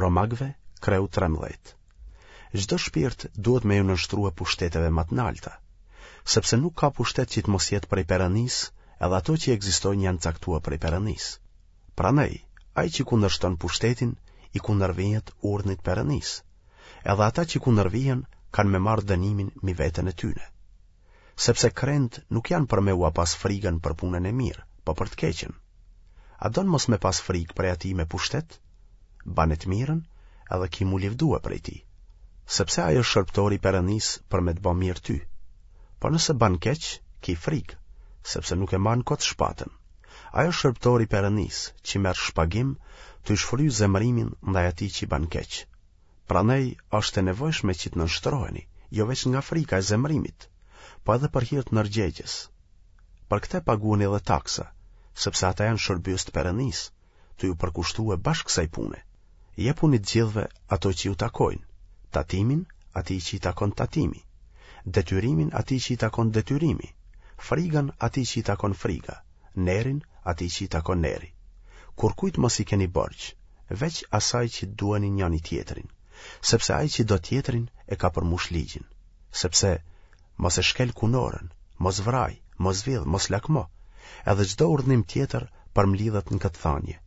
Romakëve, kreu 13. Çdo shpirt duhet me iu nënshtrue pushteteve ma të nalta, sepse nuk ka pushtet që të mos jetë prej Perënisë, edhe ato që ekzistojnë janë caktue prej Perënisë. Prandaj, ai që kundërshton pushtetin, i kundërvihet urdhnit Perënisë. Edhe ata që kundërvihen kanë me marrë dënimin mi veten e tyne. Sepse krentë nuk janë për me ua pas frigën për punën e mirë, po për të keqen. A don mos me pas frigë prej atij me pushtet? Bane të mirën edhe ki m'u livdue prej tij. Sepse ai është shërbëtor i Perënisë për me të ba mirë ty. Po nëse ban keq, ki frigë, sepse nuk e mban kot shpatën. Ai është shërbëtor i Perënisë, që merr shpagim, tuj shfry zemërimin ndaj atij që ban keq. Prandaj është e nevojshme që të nënshtroheni, jo veç nga frika e zemërimit, po edhe për hir të ndërgjegjes. Për këtë paguani edhe taksa, sepse ata janë shërbyes të Perënisë, tuj u përkushtue bash kësaj pune. Jepuni të gjithëve ato që ju takojnë, tatimin atij që i takon tatimi, detyrimin atij që i takon detyrimi, frigën atij që i takon friga, nerin atij që i takon neri. Kurrkujt mos i keni borxh, veç asaj që të duani njëri-tjetrin, sepse ai që do tjetrin e ka përmush ligjin, sepse mos e shkel kunorën, mos vraj, mos vidh, mos lakmo, edhe çdo urdhnim tjetër përmblidhet në këtë thanje,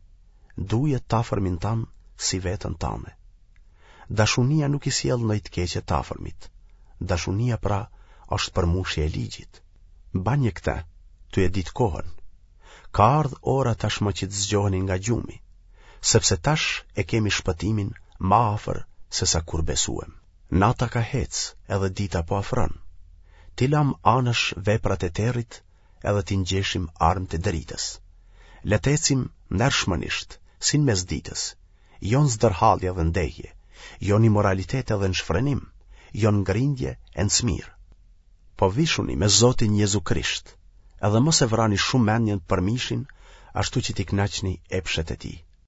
duje t'afërmin tand si veten tande. Dashunia nuk i sjell ndonjë të keqe t'afërmit. Dashunia pra është përmushje e ligjit. Banje këtë, tuj e ditë kohën. Ka ardhë ora tashmë që të zgjoheni nga gjumi, sepse tash e kemi shpëtimin ma afër sesa kur besuem. Nata ka hecë edhe dita po afron. T'i lamë anash veprat e territ edhe t'i ngjeshim armët e dritës. Le të ecim ndershmënisht, si në mes ditës, jo në zdërhallje dhe ndehje, jo në imoralitet edhe në shfrenim, jo në grindje e në smirë. Po vishuni me Zotin Jezu Krisht, edhe mos e vrani shumë mendjen për mishin, ashtu që t'i kënaqni epshet e tij.